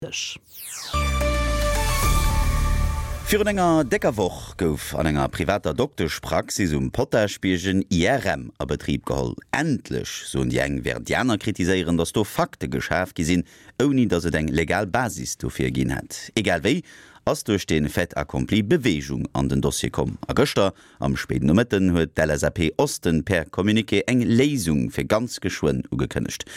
Dësch. Virun enger décker Woch gouf an enger privater Dokteschpraxis um Potaschbierg en IRM a Betrib geholl. Endlech, soen déi eng, wärend déi aner kritiséieren, datt do Fakte geschaf gi sinn, ouni datt et eng legal Basis dofir ginn hätt. Egal wéi ass duerch dee Fait accompli Beweegung an den Dossier komm a gëschter Am spéiden Nomëtten huet d'LSAP Osten per Communiqué eng Léisung fir ganz geschwënn ugekënnegt.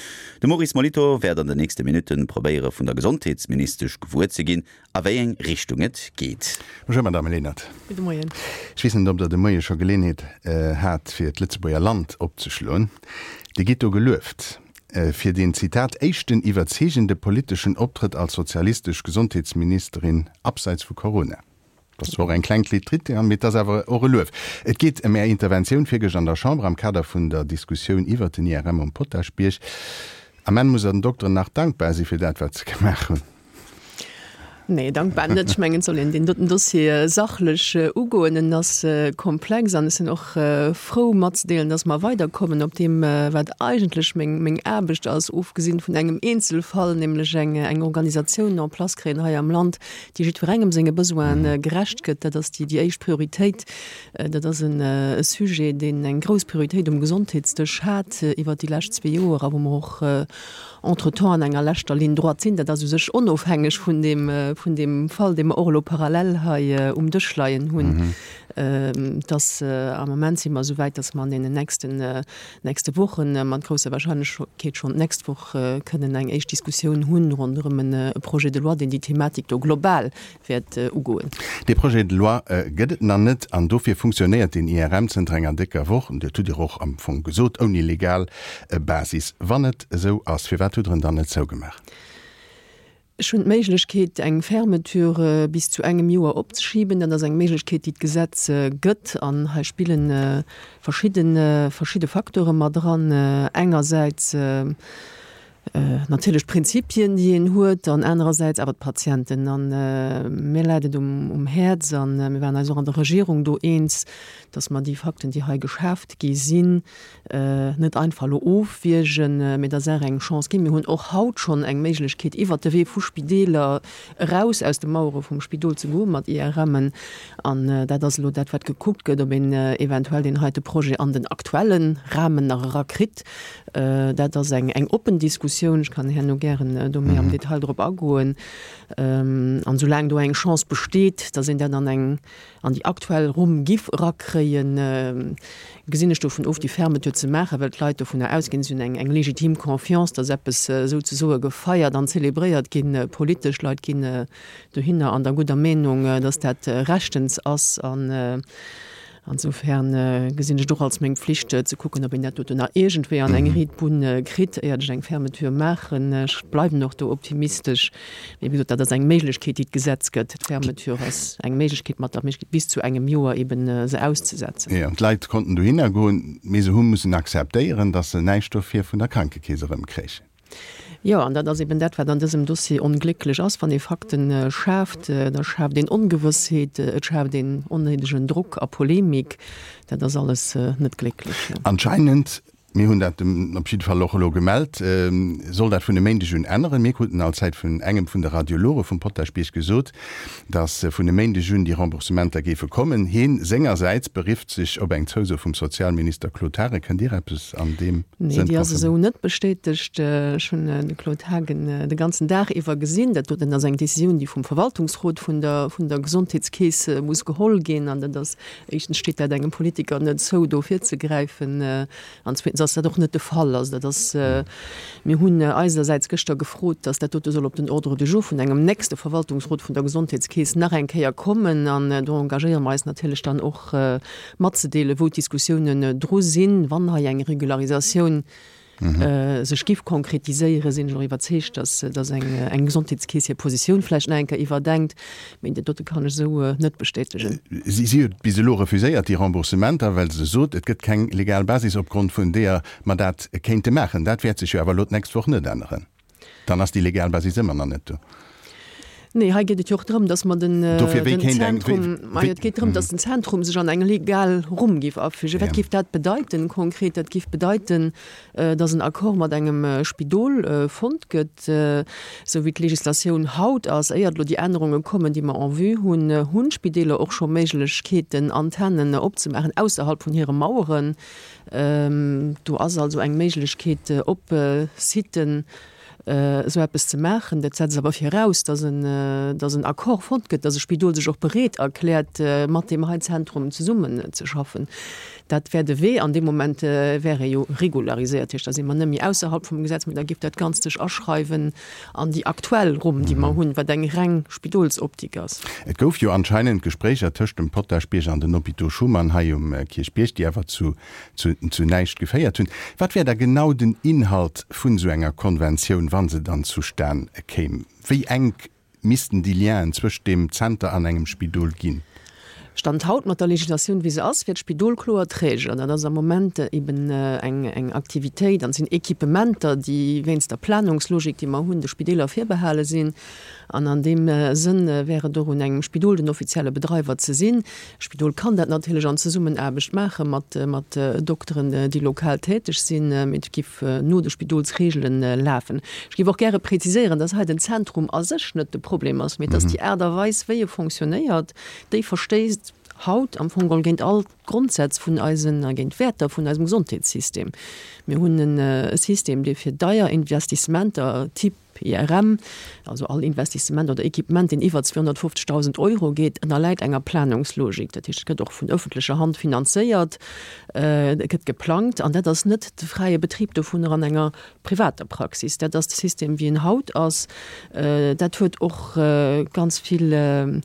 De Maurice Molitor wäert an den nächste Minutte probéiere vun der Gesondheetsministesch gewuer ze ginn, a wéi eng Richtung et geet. Bonjour Madame Lenert. Gudde Moien. Ech weess net, ob Der de Moie scho Geleenheet hat, fir d'Lëtzebuerger Land opzeschloen. Dir gitt do gelueft fir deen, Zitat, éischten iwwerzeegende politeschen Optrëtt als sozialistesch Gesondheetsministerin abseits vu Corona. Et ass zwar och eng kleng Klitritte, mee et ass awer och e Luef. Et geet ëm Är Interventioun virgëscht an der Chamber am Kader vun der Diskussioun iwwert den IRM um Potaschbierg. Am Enn muss Der den Dokteren nach dankbar si fir dat, wat se gemaach hunn. Nee, dankbar net. Ech mengen, et soll een deen doten Dossier sachlech ugoen. En ass komplex an ech sinn och frou matzedeelen, dass mer weiderkommen op deem, wat eigentlech meng, meng Aarbecht ass, ofgesinn vun engem Eenzelfall, nämlech eng, eng Organisatioun en place kréien hei am Land, déi jiddwerengem senge Besoine gerecht gëtt, dat ass déi éischt Prioritéit. Dat ass e Sujet, deen eng grouss Prioritéit um Gesondheetsdësch hat iwwert déi lescht zwee Joer a wou mer och entretemps an enger leschter Ligne droite sinn. Dat ass u sech onofhängeg vun deem, vun deem Fall, dee mer och elo parallel hei um Dësch leien hunn. Dass am Moment si mer esou wäit, dass mer an deenen nächsten nächste Wochen, mat grousser Wahrscheinlechkeet schonn d'nächst Woch, kënnen eng éischt Diskussioun hunn ronderëm e Projet de loi, deen déi Thematik do global wäert ugoen. Dee Projet de loi gëtt et nach net an dofir funktionéiert den IRM zënter enger décker Woch, dat hutt Dir och am Fong gesot, ouni legal Basis. Wann et esou ass, firwat hutt Der en dann net zougemaach? Ech hunn d'Méiglechkeet, eng Fermeture bis zu engem Joer opzeschiben. Dat ass eng Méiglechkeet, déi d'Gesetz gëtt. An hei spille verschidde, verschidde Facteure mat eran. Engersäits natierlech d'Prinzipien, déi een huet, an anerersäits awer d'Patienten. A mir läit et um Häerz, a mir waren eis och an der Regierung do eens, dass mer déi Fakten, déi hei geschaaft gi sinn, net einfach elo ofwiergen, mee der Saach eng Chance ginn. Mir hunn och haut schonn eng Méiglechkeet, iwwert de Wee vu Spideeler eraus aus de Mauere vum Spidol ze goen mat IRMen. An dat ass elo dat, wat gekuckt gëtt, ob een eventuell deen heite Projet an den aktuelle Rahmen nach erakritt. Dat ass eng eng oppen Diskussioun. Ech kann herno gären do méi am Detail drop agoen. An soulaang do eng Chance besteet, dass een dat an eng an déi aktuell Rumm giff erakréien, gesinn ech dovun of, déi Fermeture ze maachen, well d'Leit dovunner ausginn, si hunn eng legitim Confiance, datt eppes souzesoe gefeiert an zelebréiert ginn, politesch. D'Leit ginn dohinner an der gudder Meenung, datt dat rechtens ass. An insofern gesinn ech et och als meng Pflicht, ze kucken, ob een dat doten nach iergendwéi an eng riit Bunn kritt, éiert ech eng Fermeture maachen. Ech bleiwen och do optimistesch. Mee wéi gesot, dat ass eng Méiglechkeet, déi d'Gesetz gëtt. D'Fermeture ass eng Méiglechkeet, mat der Méiglechkeet bis zu engem Joer eben se auszesetzen. Jo, d'Leit konnten dohinner goen, mee se hu mussen akzeptéieren, datt se näischt dofir vun der Krankekeess erëmkréichen. Jo, an dat ass eben dat, wat an dësem Dossier onglécklech ass. Wann ee Fakten schaaft, da schaaft een Ongewëssheet, et schaaft een onnéidegen Drock a Polemik. Dat ass alles net glécklech. Anscheinend Mir hunn dat op jidde Fall och elo gemellt, soll dat vun e Méindeg un änneren. Mir kruten allzäit vun engem vun de Radiologe vum Potaschbierg gesot, datt vun e Méindeg un déi Remboursementer géife kommen. Heen sengersäits berifft sech op eng Zouso vum Sozialminister Claude Haagen. Kënnt Dir eppes an deem Sënn Nee, déi ass esou net bestätegt. Ech hunn de Claude Haagen de ganzen Dag iwwer gesinn. Dat doten ass eng Decisioun, déi vum Verwaltungsrot vun der vun der Gesondheetskeess muss geholl ginn. An dat ass Éischtens steet dat engem Politiker net zou, do virzegräifen, an zweetens ass dat och net de Fall. Also dat ass, mir hunn eisersäits gëschter gefrot, datt dat dote soll op den Ordre du jour vun engem nächste Verwaltungsrot vun der Gesondheetskeess nach eng Kéier kommen. An do engagéiere mer eis natierlech dann och matzedeelen, wou d'Diskussiounen dru sinn, wann hei eng Regularisatioun sech giff konkretiséieren, sinn ech och iwwerzeegt, dass dass eng eng Gesondheetskeess hir Positioun vläicht nach eng Kéier iwwerdenkt. Mee dat dote kann ech esou net bestätegen. Si si huet bis elo refuséiert, déi Remboursementer, well se sot, et gëtt keng legal Basis, opgrond vun deeër mer dat kéinte maachen. Dat wäert sech jo awer elo d'nächst Woch net änneren. Dann ass déi legal Basis ëmmer nach net do. Nee, hei geet et jo och drëm, datt mer den Zentrum, majo, et geet drëm, datt den Zentrum sech an eng legal Rumm géif afügen. Wat géif dat bedeiten konkret? Dat géif bedeiten, datt en Accord mat engem Spidol fonnt gëtt, esou wéi d'Législatioun haut ass, éiert elo déi Ännerunge kommen, déi mer en vue hunn, hunn d'Spideeler och scho Méiglechkeeten, Antennen opzemaachen ausserhalb vun hire Maueren. Do ass also eng Méiglechkeet op Siten, esou eppes ze maachen. Dat setzt awer viraus, dass en, dass en Accord fonnt gëtt, dass e Spidol sech och bereet erkläert, mat deem hei Zentrum zesummenzeschaffen. Dat wär de Wee. An deem Moment wär e jo regulariséiert. Dat heescht, da si mer net méi ausserhalb vum Gesetz, mä da géif dat Ganzt sech aschreiwen an déi aktuell Rumm, déi mer hunn, wat eng reng Spidolsoptik ass. Et gouf jo anscheinend Gespréicher tëscht dem Potaschbierg an den Hôpitaux Schuman hei um Kierchbierg, déi awer zu zu näischt geféiert hunn. Wat wär da genau den Inhalt vun esou enger Konventioun, wa se dann zustan kéim? Wéi enk missten déi Lienen zwëscht deem Zenter an engem Spidol ginn? Stand haut, mat der Législatioun wéi se ass, wär d'Spidol kloer Träger. Dat ass am Moment eben eng Aktivitéit an et sinn Equipementer, déi wéinst der Planungslogik, déi mer hunn, de Spideeler virbehale sinn. An an deem Sënn wär et och un engem Spidol, den offizielle Bedreiwer ze sinn. D'Spidol kann dat natierlech an Zesummenaarbecht maache mat mat Dokteren, déi lokal täteg sinn, mee et giff no de Spidolsreegelen lafen. Ech géif och gäre präziséieren, dass hei den Zentrum a sech net de Problem ass, mee dass déi Aart a Weis, wéi e fonctionnéiert, déi verstéisst haut am Fong geholl géint all d'Grondsätz vun eisen a géint d'Wäerter vun eisem Gesondheetssystem. Mir hunn e System, dee fir deier Investissementer, Typ IRM, also all Investissement oder Equipement, deen iwwer 250.000 Euro geet, ënnerläit enger Planungslogik. Dat heescht, et gëtt och vun ëffentlecher Hand finanzéiert, et gëtt geplangt an dat ass net de fräie Betrib dovunner an enger privater Praxis. Dat ass de System, wéi en haut ass. Dat huet och ganz vill,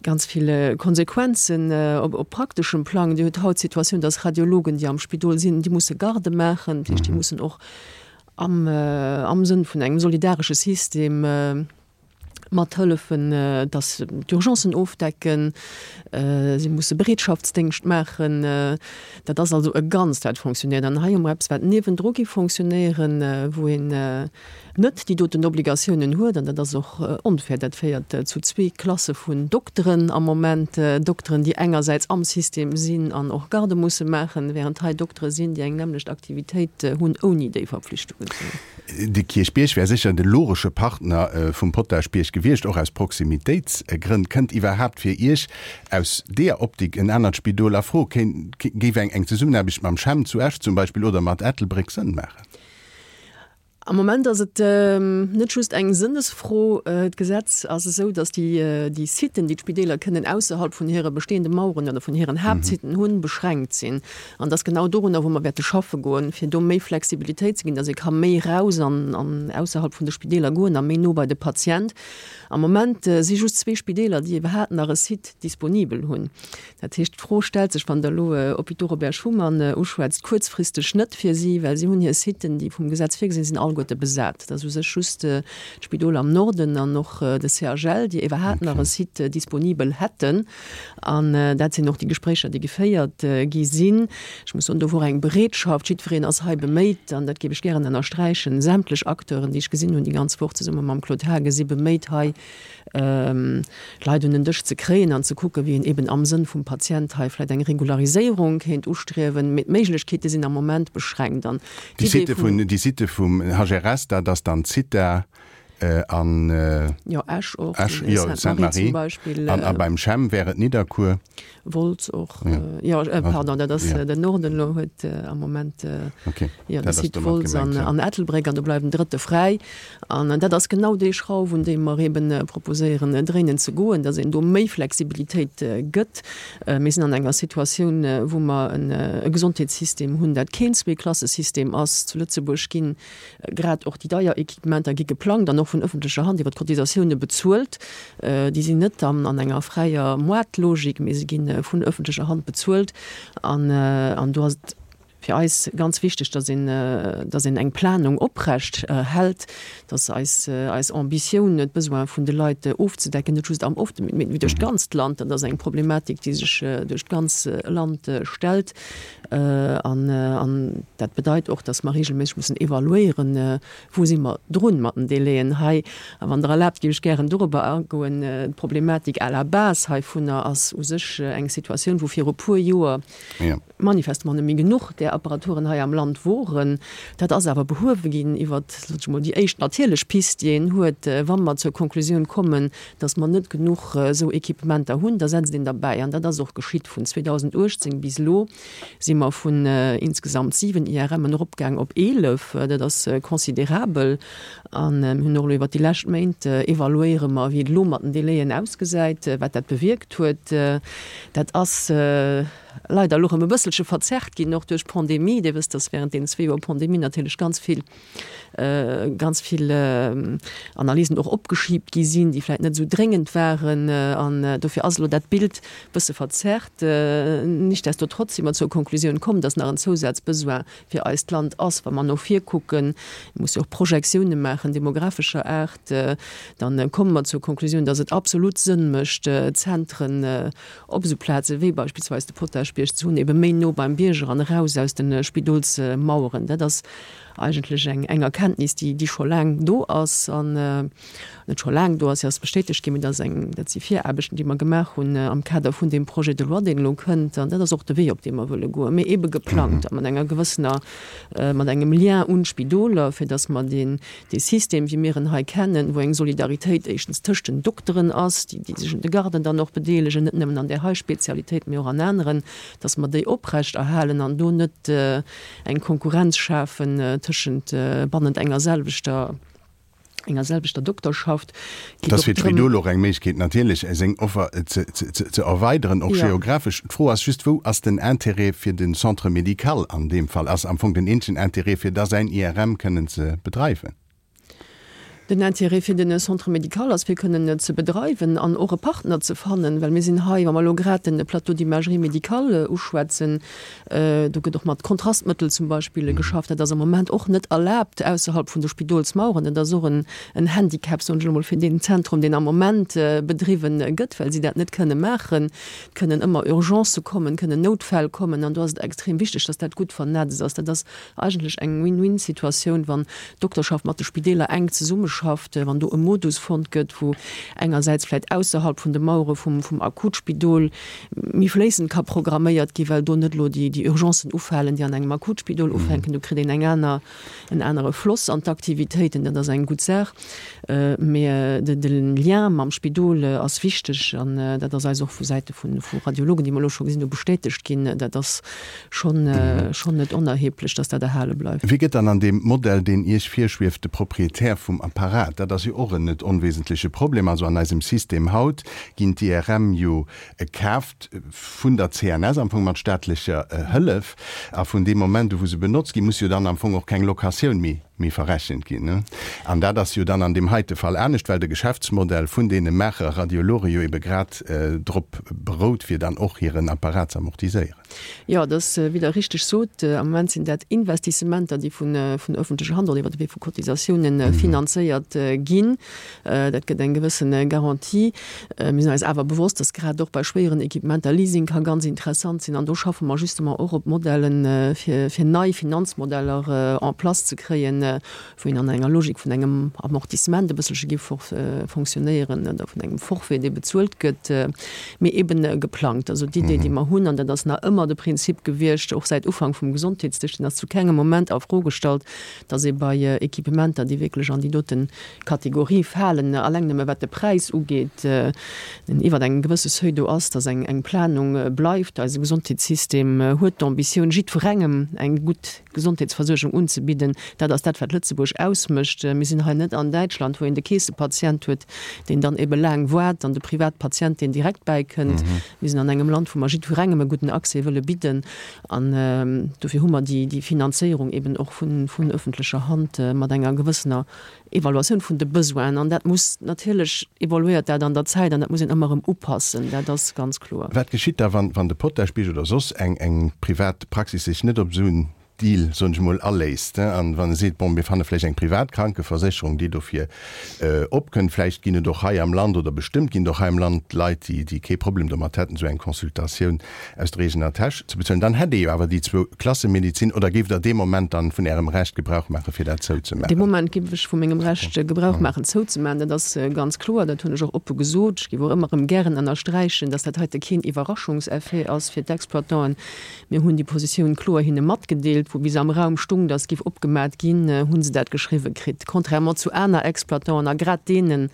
ganz vill Konsequenzen op prakteschem Plang. Dir hutt haut d'Situatioun, dass Radiologen, déi am Spidol sinn, déi musse Gardë maachen. Dat heescht, déi mussen och am am Sënn vun engem solidaresche System mat hëllefen, dass d'Urgencen ofdecken, si musse Bereetschaftsdéngscht maachen. Dat ass also e Ganzt, wat fonctionnéiert. An hei hu mer eppes, wat niewendru géif fonctionnéieren, wou een net déi doten Obligatiounen huet. An dat ass och onfair. Dat féiert zu zwee Klasse vun Dokteren am Moment, Dokteren, déi engersäits am System sinn an och Gardë musse maachen, während hei Doktere sinn, déi eng nämmlecht Aktivitéit hunn, ouni déi Verpflichtungen ze hunn. De Kierchbierg wär sécher de logesche Partner vum Potaschbierg gewiescht, och aus Proximitéitsgrënn. Kënnt iwwerhaapt fir Iech aus deeër Optik en anert Spidol a Fro? Géif eng Zesummenaarbecht mam CHEM zu Esch zum Beispill oder mat Ettelbréck Sënn maachen? Am Moment ass et net just eng Sënnesfro. D'Gesetz ass esou, datt déi Siten, déi d'Spideeler kënnen ausserhalb vun hire bestehende Maueren oder vun hiren Haaptsiten hunn, beschränkt sinn. An et ass genau dorunner, wou mer wäerte schaffe goen, fir do méi Flexibilitéit ze ginn, datt ee ka méi raus an ausserhalb vun de Spideeler goen a méi no bei de Patient. Am Moment si just zwee Spideeler, déi iwwerhaapt nach e Site disponibel hunn. Dat heescht, d'Fro stellt sech, wann Der elo Hôpitaux Robert Schuman uschwätzt, kuerzfristeg net fir si, well si hunn hir Siten, déi vum Gesetz virgesinn sinn, alleguerte besat. Et ass u sech just d'Spidol am Norden an och de CHL, déi iwwerhaapt nach e Site disponibel hätten. An dat sinn och déi Gespréicher, déi geféiert gi sinn. Ech muss soen, do wor eng Bereetschaft, jiddwereen ass hei beméit, an dat géif ech gären ënnersträichen, sämtlech Acteuren, déi ech gesinn hunn déi ganz Woch zesumme mam Claude Haagen, si beméit hei d'Leit un den Dësch ze kréien an ze kucken, wéi een eben am Sënn vum Patient hei vläicht eng Regulariséierung kéint ustriewen. Mee d'Méiglechkeete sinn am Moment beschränkt. An Déi Sitte vun, déi Sitte vum HRS, dat ass dann d'Zitha an Jo, Esch och, Esch, jo, Sainte-Marie zum Beispill. An a beim CHEM wär et Nidderkuer. Wolz och, jo, pardon, dat ass den Norden elo huet am Moment, jo, de Site Wolz an Ettelbréck an do bleift en drëtte fräi. An dat ass genau déi Schrauf, un déi mer eeben proposéieren dréinen ze goen, datt een do méi Flexibilitéit gëtt. Mir sinn an enger Situatioun, wou mer e Gesondheetssystem hunn, dat keen Zweeklassesystem ass. Zu Lëtzebuerg ginn Grad och déi deier Equipementer gi geplangt an och vun ëffentlecher Hand iwwer d'Cotisatioune bezuelt. Déi sinn net dann an enger fräier Moartlogik, mee se gi vun ëffentlecher Hand bezuelt. An do ass et. Fir eis ganz wichteg, dass een, dass een eng Planung oprecht hält, dass eis, eis Ambitioun, d'Besoine vun de Leit ofzedecken, net just am Osten, mee duerch d'ganzt Land, dat ass eng Problematik, déi sech duerch d'ganz Land stellt. An, an dat bedeit och, dass mer regelméisseg mussen evaluéieren, Wou si mer drun mat den Délaiën hei? A wann Der erlaabt, géif ech gären dorobber agoen. D'Problematik à la base heivunner ass u sech eng Situatioun, wou viru puer Joer manifestement net méi genuch där Apparaturen hei am Land woren. Dat ass awer behuewe ginn iwwert, sot ech emol, déi éischt natierlech Pist, déi een huet, wa mer zur Konklusioun kommen, dass mer net genuch esou Equipementer hunn, da setzt een derbäi. An dat ass och geschitt vun 2018 bis elo. si mer vun insgesamt 7 IRMen eropgaang op 11. Dat ass considerabel. A mir hunn och elo iwwert déi lescht Méint evaluéiere mer, wéi et elo mat den Délaiën ausgesäit, wat dat bewierkt huet. Dat ass leider elo erëm e bësselche verzerrt ginn, och duerch d'Pandemie. Dir wësst, dass während deenen zwee Joer Pandemie natierlech ganz vill, ganz vill Analysen och opgeschiebt gi sinn, déi vläicht net esou dréngend waren. An dofir ass elo dat Bild e bësse verzerrt. Nichtsdestotrotz si mer zur Konklusioun komm, dass nach en Zousazbesoin fir eist Land ass, wa mer no vir kucken. Mir musse jo och Projektioune maachen, demographescher Aart. Dann komme mer zur Konklusioun, dass et absolut Sënn mécht, Zentren op esou Plaze wéi beispillsweis de Potaschbierg ze hunn, ebe méi no beim Bierger an eraus aus de Spidolsmaueren. Dat ass eigentlech eng eng Erkenntnis, déi déi scho laang do ass an net scho laang do ass, se ass bestätegt ginn, mee dat ass eng, dat si Viraarbechten, déi mer gemaach hunn am Kader vun deem Projet de loi, deen elo kënnt. An dat ass och de Wee, op dee mer wëlle goen, mee ebe geplangt a mat enger gewëssener, mat engem Lien un d'Spidoler, fir datt mer deen, dee System, wéi mir en hei kennen, wou eng Solidaritéit éischtens tëscht den Dokteren ass, déi déi sech un de Garden dann och bedeelegen, net nëmmen an där hei Spezialitéit, mee och an aneren, datt mer déi oprecht erhalen an do net eng Konkurrenz schafen tëschent bannent enger selwechter enger selwechter Dokterschaft. Et ass fir d'Spidol och eng Méiglechkeet natierlech seng Offer ze erweideren, och geographesch. D'Fro ass just, wou ass den Intérêt fir de Centre médical an deem Fall? Ass am Fong den eenzegen Intérêt fir da säin IRM kënnen ze bedreiwen? Den Intérêt fir den Centre médical ass, fir kënnen ze bedreiwen an och e Partner ze fannen, well mir sinn hei, wa mer elo grad den Plateau d'imagerie médicale uschwätzen, do gëtt och mat Kontrastmëttel zum Beispill geschafft, dat ass am Moment och net erlaabt ausserhalb vun de Spidolsmaueren. Dat ass och en Handicap, soen ech elo mol, fir deen Zentrum, deen am Moment bedriwwen gëtt, well si dat net kënne maachen. Et kënnen ëmmer Urgencë kommen, kënnen Noutfäll kommen an do ass et extrem wichteg, dass dat gutt vernetzt ass. Dat ass Eigentlech eng Win-win-Situatioun, wann d'Dokterschaft mat de Spideeler enk zesummeschafft, wann do e Modus fonnt gëtt, wou engersäits vläicht ausserhalb vun de Mauere vum Akutspidol méi fléissend ka programméiert ginn, well do net elo déi Urgencen ufalen, déi an engem Akutspidol ufänken. Do kritt een eng aner, en anere Floss an d'Aktivitéiten. Dat ass eng gutt Saach. Mee de Lien mam Spidol ass wichteg an dat ass eis och vu Säite vu Radiologen, déi mer elo scho gesinn hu, bestätegt ginn. Dat ass schonn schonn net onerheblech, dass dat erhale bleift. Wie gëtt dann an deem Modell, deen Iech virschwieft, de Proprietär vum Apparat? Dat ass jo och en net onwesentleche Problem. Also an eisem System haut ginn d'IRM jo kaaft vun der CNS, am Fong mat staatlecher Hëllef. A vun deem Moment u wou se benotzt ginn, muss jo dann am Fong och keng Locatioun méi méi verrechent ginn. An dat ass jo dann an deem heite Fall anescht, well de Geschäftsmodell vun deene Maacher Radiologe jo ebe grad drop berout, fir dann och hiren Apparat ze amortiséieren. Jo, et ass, wéi Der richteg sot, am Moment sinn dat Investissementer, déi vun öffentlecher Hand oder iwwer de Wee vu Cotisatiounen finanzéiert ginn. Dat gëtt eng gewësse Garantie. Mir sinn eis awer bewosst, dass grad och bei schwéieren Equipementer Leasing ka ganz interessant sinn. An do schaffe mer justement och op Modellen, fir nei Finanzmodeller en place ze kréien, wou een an enger Logik vun engem Amortissement e bësselche géif fonctionnéieren oder vun engem Forfait, dee bezuelt gëtt, mee eben geplangt. Also d'Idee, déi mer hunn, an dat ass nach ëmmer de Prinzip gewiescht, och säit Ufank vum Gesondheetsdësch, deen ass zu kengem Moment a Fro gestallt, dass ee bei Equipementer, déi wierklech an déi dote Kategorie falen, alleng nëmme wat de Präis ugeet, deen iwwer engem gewësse Seuil do ass, dass eng Planung bleift. Eise Gesondheetssystem huet d'Ambitioun, jiddwerengem eng gutt Gesondheetsversuergung unzebidden. Dat ass dat, wat Lëtzebuerg ausmécht. Mir sinn hei net an Däitschland, wou een de Keessepatient huet, deen dann ebe laang waart, an de Privatpatient, deen direkt bäikënnt. Mir sinn an engem Land, wou mer jiddwerengem e gudden Accès wëlle bidden. An dofir hu mer déi Finanzéierung eben och vun öffentlecher Hand mat enger gewëssener. Evaluatioun vun de Besoinen an dat muss natierlech evoluéiert dat an der Zäit an dat muss een ëmmer erëm upassen, dat ass ganz kloer. Wat geschitt da, wann de Potaschbierg oder soss eng eng privat Praxis sech net op esou en Deal, soen ech emol, aléisst an wann e seet, bon, mir fanne vläicht eng privat Krankeversécherung, déi dofir opkënnt, vläicht ginn et och hei am Land oder bestëmmt ginn et och hei am Land Leit, déi déi kee Problem domat hätten, esou eng Consultatioun aus der eegener Täsch ze bezuelen, dann hätt ee jo awer déi Zwou-Klasse-Medizin. Oder géift Der dee Moment dann vun Ärem Recht Gebrauch maachen, fir dat zouzemaachen? Dee Moment géif ech vu mengem Recht Gebrauch maachen, zouzemaachen. Dat ass ganz kloer. Dat hunn ech och oppe gesot. Ech géif och ëmmer erëm gären ënnersträichen, dass dat heite keen Iwwerraschungseffet ass fir d'Exploitanten. Mir hunn déi Positioun kloer hinne matgedeelt. Wou bis am Raum stung, dass géif opgemat ginn, hu se dat geschriwwe kritt. Contrairement zu aner Exploitanten a grad deenen,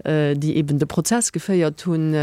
déi eben de Prozess geféiert hunn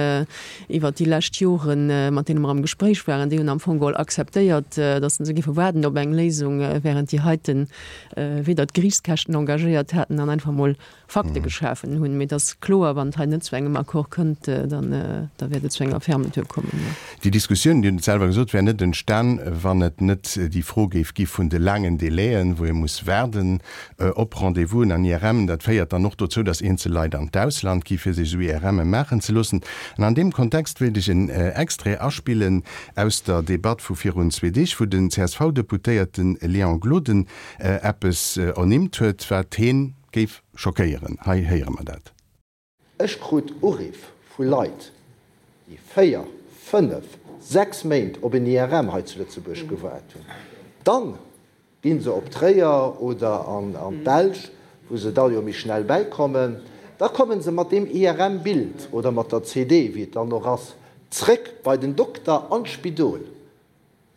iwwert déi lescht Joren, mat deene mer am Gespréich waren, déi hunn am Fong geholl akzeptéiert, datt se géife waarden op eng Léisung, während déi heiten weder d'Geriichtskäschten engagéiert haten an einfach emol Fakte geschafen hunn. Mee et ass kloer, wann et hei net zu engem Accord kënnt, dann da wäert et zu enger Fermeture kommen, jo. Déi Diskussioun, Dir hutt et selwer gesot, wär net entstan, wann et net déi Fro géif gi vun de laangen Délaiën, wou ee muss waarden Op Rendez-vousen an IRMen, dat féiert dann och dozou, dass eenzel Leit an d'Ausland gi fir sech esou IRMe maachen ze loossen. An an deem Kontext wéilt ech en Extrait aspillen aus der Debatt vu virun zwee Deeg, wou den CSV-Deputéierte Léon Gloden eppes ernimmt huet, wat heen géif schockéieren. Hei héiere mer dat. Ech krut Uriff vu Leit, déi 4, 5, 6 Méint op en IRM hei zu Lëtzebuerg gewaart hunn. Dann gi se op Tréier oder an d'Belsch, wou se da jo méi schnell bäikommen. Da komme se mat deem IRM-Bild oder mat der CD, wéi et dann och ass, zréck bei den Dokter an d'Spidol.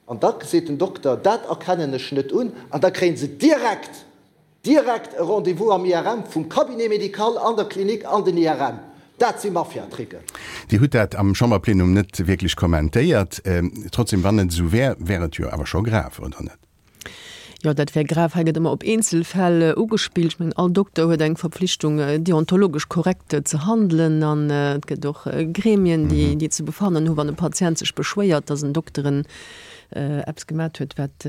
An da seet den Dokter, dat erkennen ech net un. An da kréie se direkt, direkt e Rendez-vous am IRM, vum Cabinet médical an der Klinik an den IRM. Dat si Mafiatricken. Dir hutt dat am Chamberplenum net wierklech kommentéiert. Trotzdem, wann et esou wär, wär et jo awer scho grave, oder net? Jo, dat wär grav. Hei gëtt ëmmer op Eenzelfäll ugespillt. Ech mengen, all Dokter huet eng Verpflichtung, deontologesch korrekt ze handelen. An et gëtt och Gremien, déi, déi ze befannen hu wann e Patient sech beschwéiert, datt en Dokteren eppes gemat huet, wat,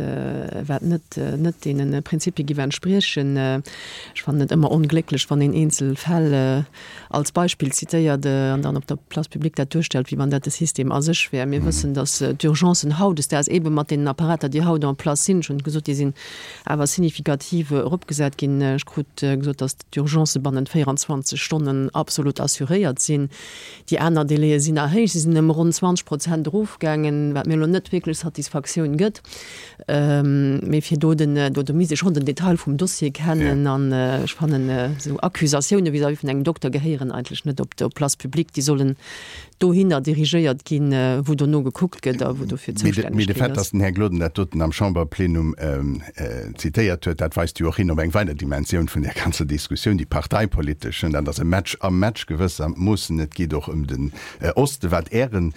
wat net, net deene Prinzipie giff entspriechen. Ech fannen et ëmmer onglécklech, wann een Eenzelfäll als Beispill zitéiert an dann op der Place publique dat duerstellt, wéi wann dat de System a sech wär. Mir wëssen, datt d'Urgencen hautdesdaags eebe mat deenen Apparater, déi haut en place sinn, ech hunn gesot, déi sinn awer signifikativ eropgesat ginn, ech krut gesot, datt d'Urgencë bannent 24 Stonnen absolut assuréiert sinn. Déi aner Délaië sinn nach héich, si sinn ëm ronn 20 Prozent erofgaangen, wat mir elo net wierklech Satisfaktioun gëtt. Mee fir do den, do do misst ee schonn den Detail vum Dossier kennen an ech fannen esou Accusatioune vis-à-vis vun engem Dokter gehéieren eigentlech net op d'Place publique. Déi sollen dohinner dirigéiert ginn, wou dono gekuckt gëtt a wou dofir zoustänneg ginn ass. Mee de Fait, datt den Här Gloden dat doten am Chamberplenum zitéiert huet, dat weist jo och hin op eng weider Dimensioun vun där ganzer Diskussioun, déi parteipolitesch. Dat ass e Match am Match gewëssermoossen. Et geet och ëm den Osten, wat Äre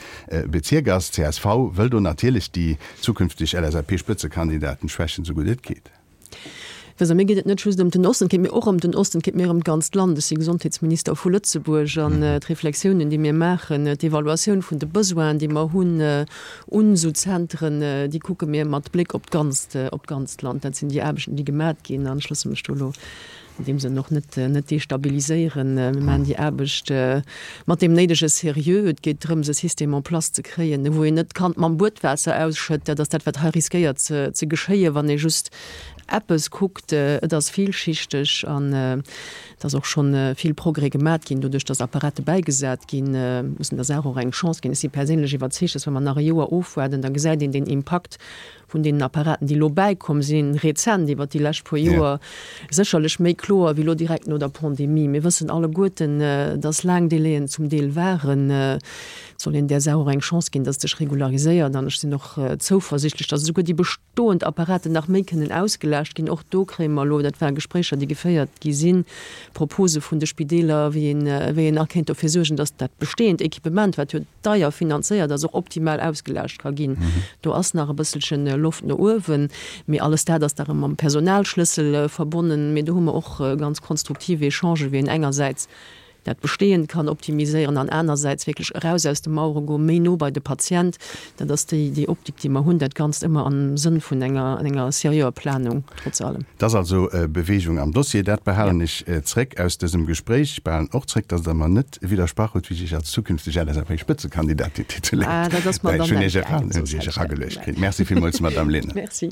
Bezierk ass. Csv wëll do natierlech déi zukünfteg LSAP-Spëtzekandidaten schwächen, esou gutt et geet. Also mir geet et net just ëm den Osten, et geet mir och ëm den Osten, et geet mir ëm d'ganzt Land. Ech si Gesondheetsminister vu Lëtzebuerg an d'Reflexiounen, déi mir maachen, d'Evaluatioun vun de Besoinen, déi mer hunn un esou Zentren, déi kucke mir mat Bléck op d'ganzt, op d'ganzt Land. Dat sinn déi Aarbechten, déi gemat ginn an ech loosse mech do elo an deem Sënn och net net destabiliséieren. Mir maachen déi Aarbecht mat deem néidege Sérieux. Et geet drëms, e System en place ze kréien, wou een net d'Kand mam Buedwaasser ausschëtt. Dat ass dat, wat hei riskéiert ze ze geschéien, wann ee just eppes kuckt. Et ass villschichteg an et ass och schonn vill Progrès gemat ginn, doduerch datt Apparate bäigesat ginn. Mussen der Saach och eng Chance ginn. Ech si perséinlech iwwerzeegt, datt wa mer nach e Joer ofwaarden, da gesäit een den Impakt vun deenen Apparaten, déi elo bäikomm sinn, rezent iwwert déi lescht puer Joer, sécherlech méi kloer wéi elo direkt no der Pandemie. Mir wëssen alleguerten, dass laang Délaiën zum Deel waren. Et soll een där Saach och eng Chance ginn, dass et sech regulariséiert. An ech sinn och zouversichtlech, dass esouguer déi bestoend Apparaten nach méi kënnen ausgelaascht ginn. Och do kréie mer elo, dat ware Gespréicher, déi geféiert gi sinn, Propose vun de Spideeler, wéi een, wéi een nach kéint dofir suergen, dass dat bestehend Equipement, wat jo deier finanzéiert ass, och optimal ausgelaascht ka ginn. Do ass nach e bësselche Loft no uewen, mee alles dat ass da erëm mam Personalschlëssel verbonnen. Mee do hu mer och ganz konstruktiv Echangen, wéi een engersäits. dat Bestehend kann optimiséieren an anersäits wierklech eraus aus de Mauere goen, méi no bei de Patient. Dat ass déi, déi Optik, déi mer hunn, dat Ganzt ëmmer am Sënn vun enger, enger seriöer Planung, trotz allem. Et ass also Bewegung am Dossier. Dat behalen ech zréck aus dësem Gespréich. Ech behalen och zréck, dass Der mer net widdersprach hutt, wéi ech Iech als zukünfteg LSAP-Spëtzekandidatin tituléiert. Ah, dat ass mer dann net gaangen, soss hätt ech dat gemaach. Merci villmools, Madamm Lehnen. Merci.